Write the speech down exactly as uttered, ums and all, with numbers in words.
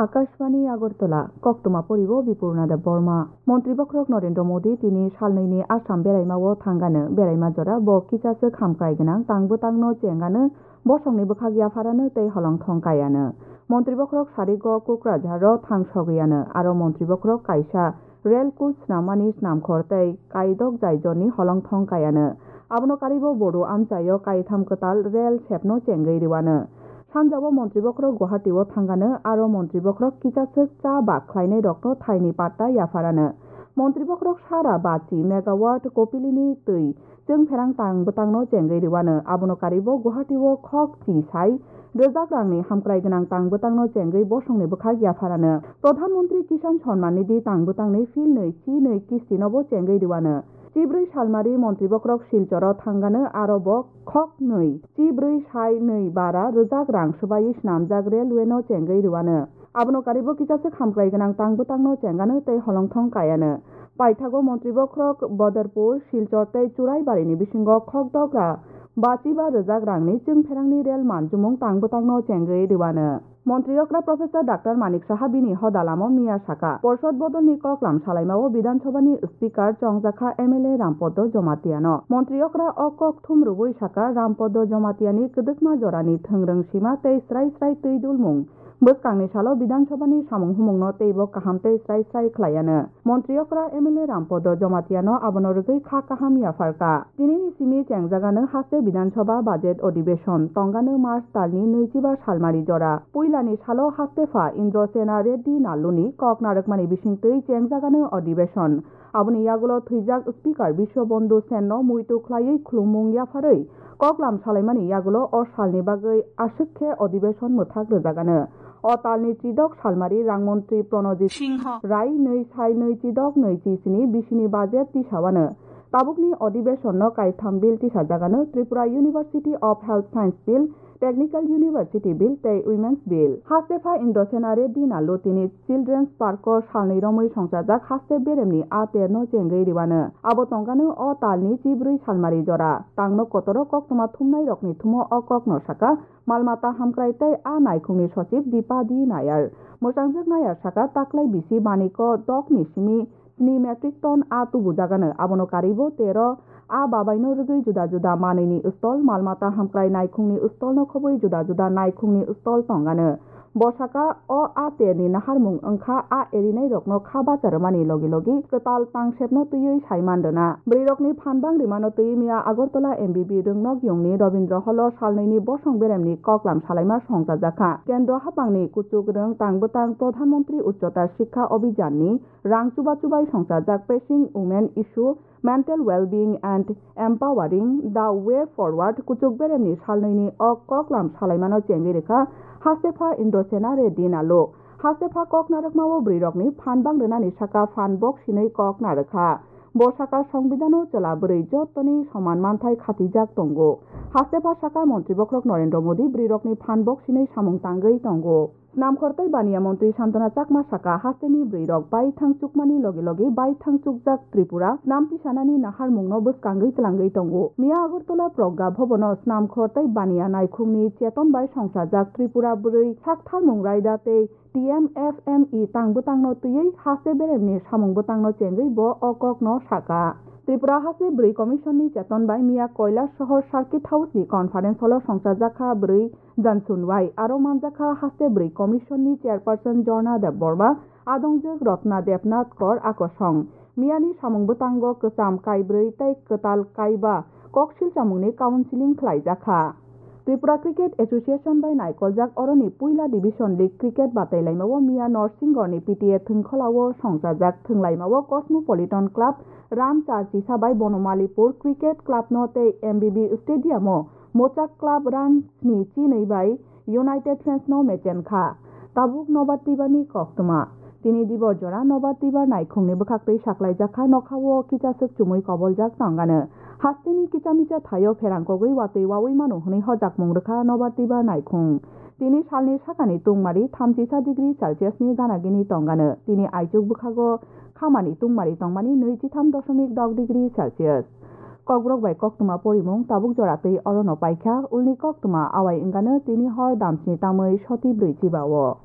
Akashbani Agartala, koktwma poribo Bipurna Debbarma. Montri bokhorok Narendra Modi tini salnwini Assam beraimao thangano, beraima jora bo kisaswk hamkrai gwnang tang bwtangno chengano, bosongni bwkhak yapharano tei holongthong kaiano. Montri bokhorok sarigo Kokrajharo thang sogwiano, aro montri bokhorok kaisa rel coach snammani snamkhor tei kaidok jaijorni holongthong kaiano. Abono karibo Bodo amchaio kaitham kwtal rel sepno chengwi rwano. Sanjao montri bokhorok Guwahati-o thangano, aro montri bokhorok kisaswk cha bak khlainairokno thaini patta yapharano. Montri bokhorok sara bachi megawatt Kopilini twi chwngpherang tang bwtangno chengwi rwano. Abono karibo Guwahati-o khok chi sai rwjak rangni hamkrai gwnang tang bwtangno chengwi bosongni bwkhak yapharano. Pradhan Mantri Kisan Samman Nidhi tang bwtangni phil nwi chi nwi kistinobo chengwi rwano. Chibrwi salmari montri bokhorok Silchoro thangano, aro bo khok nwi chibrwi sai nwi bara rwjak rang swbaiwi snamjak railway-no chengwi rwano. Abono karibo kisaswk hamkrai gwnang tang bwtangno chengano tei holongthong kaiano. Paithago montri bokhorok Badarpur, Silchor tei Churaibarini bisingo khokdogra bachiba rwjak rangni chwngpherangni rel manjumung tang bwtangno chengwi rwano. Montri okra Professor Doctor Manik Saha bini hoda lamo miya saka, Porshod bodolni koklam salaimao Bidhan Sabhani Speaker chongjakha M L A Rampodo Jomatiano. Montri okra o kok thum rwui saka, Rampodo Jomatiani kwdwkma jorani thwngrwng sima tei srai srai twi dulmung. Bwskangni salo Bidhan Sabhani samung humungno teibo kaham tei srai srai khlaiano. Montri okra M L A Rampodo Jomatiano abono rwgwi kha kaham yapharkha. Tinini simi chengjagano haste Bidhan Sabha budget odibeshon tongano March talni nwichiba salmari jora. Puilani salo haste pha Indro Sena Reddy Nalluni kok narwkmani bisingtwi chengjagano odibeshon. Aboni yagulo thwijak Speaker Biswabandhu Senno muitu khlaiwi khulumung yapharwi koklam salaimani yagulo o salni bagwi aswk khe odibeshon mwthak rwjagano. O talni chidok salmari rangmontri Pranajit Singho Rai nwi sai nwi chidok nwi chi sini bisini budget tisawano. Tabukni odibeshonno kaitham bill tisajagano Tripura University of Health Science Bill, Technical University Bill tei Women's Bill. Haste pha Indro Sena Reddy Nallu tini Children's Park-o salnwi romwi songchajak haste beremni a terno chengwi rwano. Abo tongkano o talni chibrwi salmari jora. Tangno kotoro koktwma thumnairokni thumo o kokno saka, Malmata hamkrai tei a naikhungni sochib Dipa D Nayar. Mwsangjak Nayar saka, taklai bisi Maniko dokni simi sni metric ton a tubujagano, abono karibo tero a babaino rwgwi juda juda manwini stol, malmata hamkrai naikhungni stolno khobwi juda juda naikhungni stol tongano. Bo saka, o a terni naharmung wngkha a erinairokno kha bacha rwmani logi logi kwtal tangsepno twiwi saiman rwna. Bwrwirokni phan bang rimano twiwi miya Agartala M B B Rwngnok Yungni Rabindra Hall-o salnwini bosong beremni koklam salaima songchajakha. Kendro haphangni kuchuk rwng tang bwtang Pradhan Mantri Ucchata Shiksha Abhiyan-ni rang chuba chubai songchajak Pressing Women Issue, Mental Wellbeing and Empowering the Way Forward kuchuk beremni salnwini o koklam salaimano chengwi rwkha Hastepha Indrasena Reddy Nallu. Hastepha kok narwkmao bwrwirokni phan bang rwnani saka phan bok sinwi kok narwkha. Bo saka Songbidhano chwla bwrwi jottoni soman manthai khatijak tongo. Hastepha saka Montri Bokhorok Narendra Modi bwrwirokni phan bok sinwi samung tangwi tongo. Snamkhor tei Baniya Montri Santana Chakma saka, hasteni bwrwirok baithang chukmani loge loge baithang chukjak Tripura snam tisanani naharmungno bwskangwi twlangwi tongo. Miya Agartala Progga Bhabono Snamkhor tei Baniya Naikhungni cheton bai songchajak Tripura bwrwi saktharmung raida tei T M F M E tang bwtangno twiwi haste beremni samung bwtangno chengwi bo o kokno saka. Tripura Haste Bwrwi Commission ni cheton bai miya Kailash Sohor Circuit House ni conference hall o songchajakha bwrwi Jansun Wai, aro manjakha Haste Bwrwi Commission ni chairperson Jorna Debbarma, adongjwk Ratna Debnath Kor akosong. Miyani samung bwtango kwcham kaibrwi tei kwtal kaiba koksil chamungni counseling khlaijakha. Tripura Cricket Association bai naikoljak oroni puila Division League cricket batailaimao miya Norsinggorni P T A thwngkholao songchajak thwnglaimao Cosmopolitan Club, Run char chisa bai Bonomalipur Cricket Club no tei M B B Stadium o Mochak Club run sni chinwi bai United Fans no mechen kha. Tabuk Nobar Tibar ni koktwma. Tini dibor jora Nobar Tibar naikhungni bwkhaktwi saklaijak kha, nokhao kichaswk chumui koboljak tongano. Hasteni kicha micha thaio pherang kogwi watwi wawi mano hwnwi hojakmung rwkha Nobar Tibar naikhung. Tini salni sakani tungmari thamchisa degree Celsius ni gana gini tongano. Tini aichuk bwkhago khamani tungmari tongmani nwichitham doshomik dok degree Celsius. Kokborok bai koktwma porimung tabuk jora twi orono paikha, ulni koktwma awai wngano tini hor damsni tamwi soti brwi chiba-o.